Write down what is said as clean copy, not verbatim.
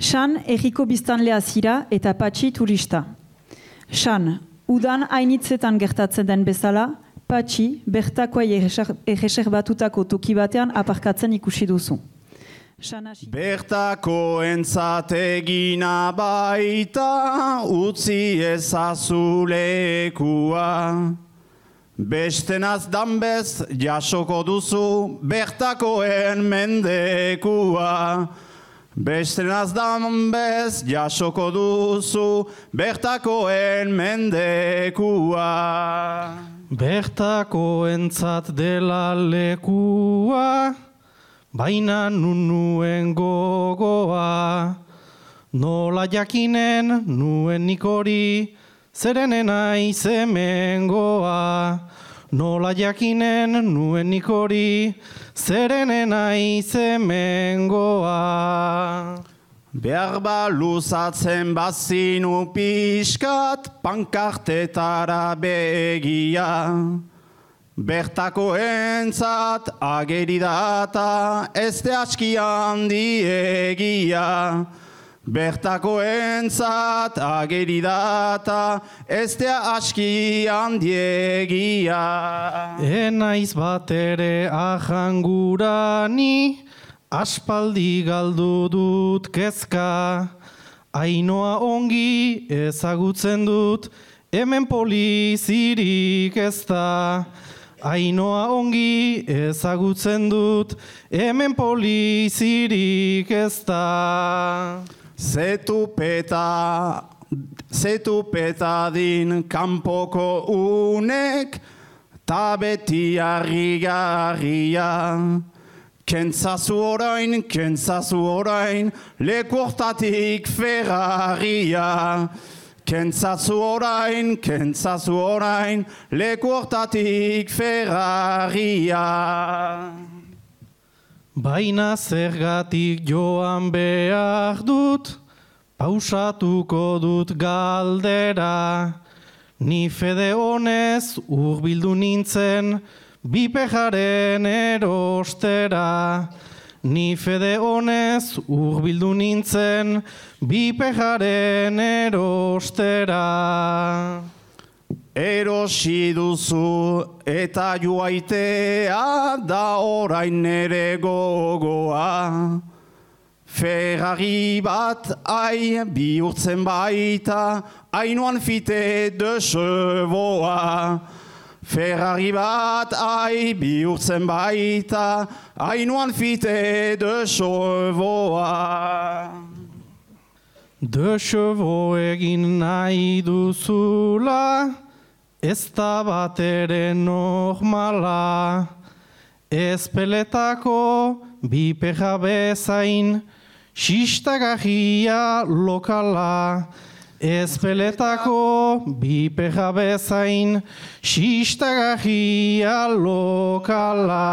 San erriko biztanlea zira eta Patxi turista. San, udan hainitzetan gertatzen den bezala, Patxi bertakoei erreserbatutako toki batean aparkatzen ikusi duzu. Bertako entzategina baita utzi ezazulekua. Bestenaz danbez jasoko duzu bertakoen mendekua. Bestenaz danbez jasoko duzu bertakoen mendekua. Bertako entzat dela lekua, baina nunuen gogoa. Nola jakinen nuen nikori, zerenen aiz hemengoa. Nola jakinen nuen nikori, zerenen aiz hemengoa. Berba luzatzen bazinu pixkat, pankartetara begia. Bertako entzat ageri data, ez de aski handiegia. Bertako entzat ageri data, ez de aski handiegia. Enaiz bat ere ahangurani, aspaldi galdu dut kezka. Ainoa ongi ezagutzen dut, hemen polizirik ez da. Ainoa ongi ezagutzen dut, hemen polizirik ez da. Zetupeta din kanpoko unek, ta beti harrigarria. Kentzazu orain, leku hortatik Ferraria. Kentzazu orain, leku hortatik Ferraria. Baina zergatik joan behar dut, pausatuko dut galdera. Ni fede honez hurbildu nintzen, bipejaren erostera. Ni fede honez hurbildu nintzen, bipejaren erostera. Erosi duzu eta joaitea da orain nere gogoa. Ferrari bat bihurtzen baita, hainoan fite de chevoa. Ferrari bat bihurtzen baita, hainoan fite de chevoa. De chevo egin nahi duzula, ez da bat ere normala. Ez peletako bipeja bezain, xistagahia lokala. Ez peletako bipeja bezain, xistagahia lokala.